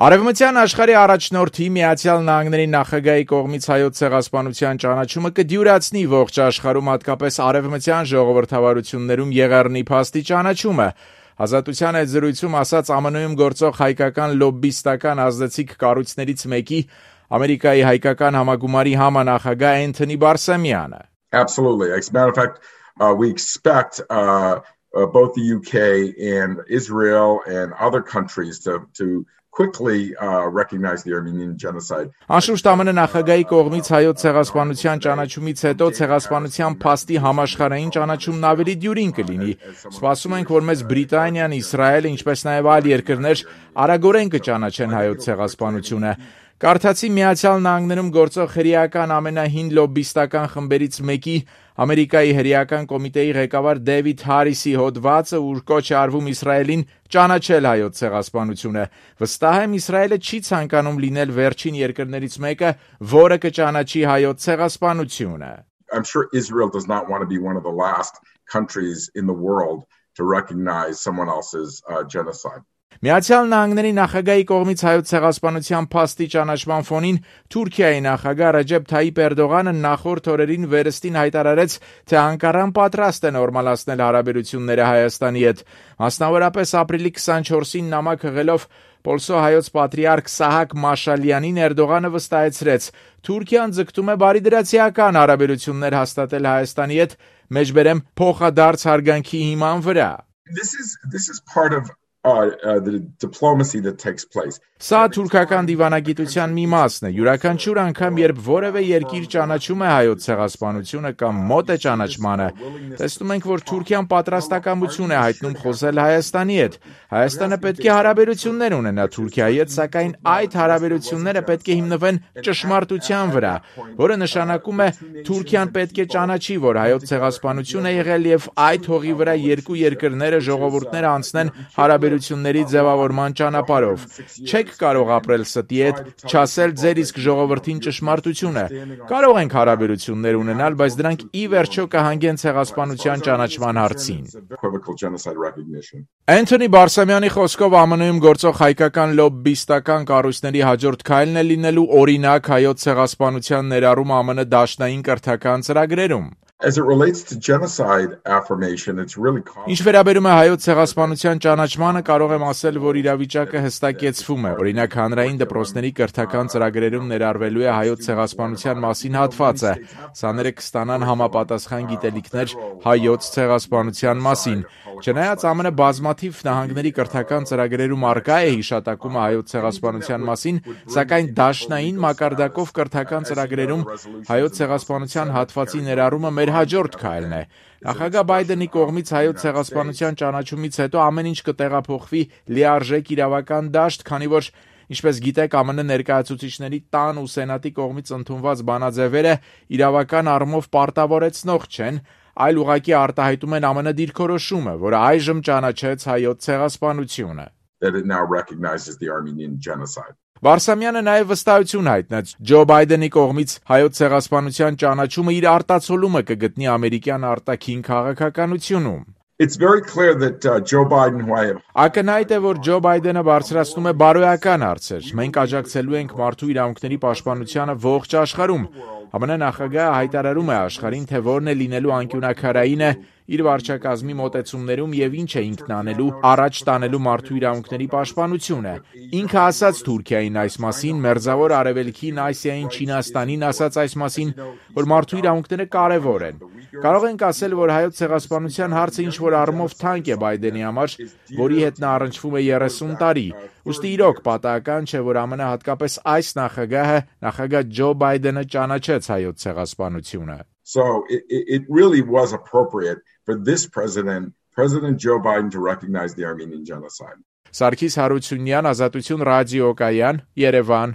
Արևմտյան աշխարհի առաջնորդի Միացյալ Նահանգների նախագահի կողմից հայոց ցեղասպանության ճանաչումը կդյուրացնի ողջ աշխարհում, հատկապես արևմտյան ժողովրդավարություններում եղեռնի փաստի ճանաչումը։ Ազատության այդ զրույցում ասաց ԱՄՆ-ում գործող հայկական լոբբիստական ազդեցիկ կառույցներից մեկի Ամերիկայի հայկական համագումարի համանախագահ Էնթոնի Բարսամյանը։ Absolutely. As a matter of fact, we expect both the UK and Israel and other countries to quickly recognize the Armenian genocide. Անշուշտ ԱՄՆ նախագահի կողմից հայոց ցեղասպանության ճանաչումից հետո ցեղասպանության փաստի համաշխարհային ճանաչումն ավելի դյուրին կլինի։ Սպասում ենք, որ մեծ Բրիտանիան, Իսրայելը, ինչպես նաև այլ երկրներ արագորեն կճանաչեն հայոց ցեղասպանությունը։ Կարդացի Միացյալ Նահանգներում գործող հրեական ամենահին լոբբիստական խմբերից մեկի Ամերիկայի հրեական կոմիտեի ղեկավար Դեվիդ Հարիսի հոդվածը, ուր կոչ է արվում Իսրայելին ճանաչել հայոց ցեղասպանությունը։ Վստահ եմ, Իսրայելը չի ցանկանում լինել վերջին երկրներից մեկը, որը կճանաչի հայոց ցեղասպանությունը։ I'm sure Israel does not want to be one of the last countries in the world to recognize someone else's genocide. Միացյալ Նահանգների նախագահի կողմից հայոց ցեղասպանության փաստի ճանաչման ֆոնին Թուրքիայի նախագահ Ռեջեփ Թայիփ Էրդողանը նախորդ օրերին վերստին հայտարարեց, թե Անկարան պատրաստ է նորմալացնել հարաբերությունները Հայաստանի հետ։ Մասնավորապես ապրիլի 24-ին նամակ հղելով Պոլսո հայոց պատրիարք Սահակ Մաշալյանին Էրդողանը վստահեցրեց. Թուրքիան ձգտում է բարիդրացիական հարաբերություններ հաստատել Հայաստանի հետ, մեջբերեմ փոխադարձ հարգանքի հիման վրա։ This is part of the diplomacy that takes place. Սա թուրքական դիվանագիտության մի մասն է։ Յուրաքանչյուր անգամ, երբ որևէ երկիր ճանաչում է հայոց ցեղասպանությունը կամ մոտ է ճանաչմանը, տեսնում ենք, որ Թուրքիան պատրաստակամություն է հայտնում խոսել Հայաստանի հետ։ Հայաստանը պետք է հարաբերություններ ունենա Թուրքիայի հետ, սակայն այդ հարաբերությունները պետք է հիմնվեն ճշմարտության վրա, որը նշանակում է Թուրքիան պետք է ճանաչի, որ հայոց ցեղասպանություն է եղել եւ այդ հողի վրա երկու երկրները, ժողովուրդները անցնեն հարաբերությունների ձևավորման ճանապարհով։ Չեք կարող ապրել ստի հետ, չասել ձեր իսկ ժողովրդին ճշմարտությունը։ Կարող ենք հարաբերություններ ունենալ, բայց դրանք ի վերջո կհանգեն ցեղասպանության ճանաչման հարցին։ Էնթոնի Բարսամյանի խոսքով ԱՄՆ-ում գործող հայկական լոբբիստական կառույցների հաջորդ քայլն է լինելու օրինակ հայոց ցեղասպանության ներառում ԱՄՆ դաշնային կրթական ծրագրերում։ As it relates to genocide affirmation, it's really Ինչ վերաբերում է հայոց ցեղասպանության ճանաչմանը, կարող եմ ասել, որ իրավիճակը հստակեցվում է։ Օրինակ, հանրային դպրոցների կրթական ծրագրերում ներառվելու է հայոց ցեղասպանության մասին հատվածը։ Սաները կստանան համապատասխան գիտելիքներ հայոց ցեղասպանության մասին։ Չնայած ԱՄՆ բազմաթիվ նահանգների կրթական ծրագրերում արկա է հիշատակումը հայոց ցեղասպանության մասին, սակայն դաշնային մակարդակով կրթական ծրագրերում հայոց ցեղասպանության հատվածի ներառումը մեր հաջորդ քայլն է։ Նախագահ Բայդենի կողմից հայոց ցեղասպանության ճանաչումից հետո ամեն ինչ կտեղափոխվի լիարժեք իրավական դաշտ, քանի որ, ինչպես գիտեք, ԱՄՆ ներկայացուցիչների տան ու սենատի կողմից ընդունված բանաձևերը իրավական առումով պարտավորեցնող չեն, այլ ուղղակի արտահայտում են ԱՄՆ դիրքորոշումը, որը այժմ ճանաչեց հայոց ցեղասպանությունը։ that it now recognizes the Armenian genocide. Բարսամյանը նաև վստահություն հայտնեց Ջո Բայդենի կողմից հայոց ցեղասպանության ճանաչումը իր արտացոլումը կգտնի ամերիկյան արտաքին քաղաքականությունում։ It's very clear that Joe Biden, who I have Ակնհայտ է, որ Ջո Բայդենը բարձրացնում է բարոյական հարցեր։ Մենք աջակցելու ենք մարդու իրավունքների պաշտպանությանը ողջ աշխարհում։ ԱՄՆ նախագահը հայտարարում է աշխարհին, թե որն է լինելու անկյունաքարայինը իր վարչակազմի մոտեցումներում եւ ինչ է ինքն անելու առաջ տանելու մարդու իրավունքների պաշտպանությունը։ Ինքը ասաց Թուրքիային այս մասին, Մերձավոր Արևելքին, Ասիային, Չինաստանին ասաց այս մասին, որ մարդու իրավունքները կարևոր են։ Կարող ենք ասել, որ հայոց ցեղասպանության հարցը ինչ որ առումով թանկ է Բայդենի համար, որի հետ նա առնչվում է 30 տարի։ Ուստի իրոք պատահական չէ, որ ԱՄՆ հատկապես այս նախագահը, նախագահ Ջո Բայդենը ճանաչեց հայոց ցեղասպանությունը։ So it really was appropriate for this President Joe Biden, to recognize the Armenian genocide. Սարգիս Հարությունյան, Ազատություն ռադիոկայան, Երևան։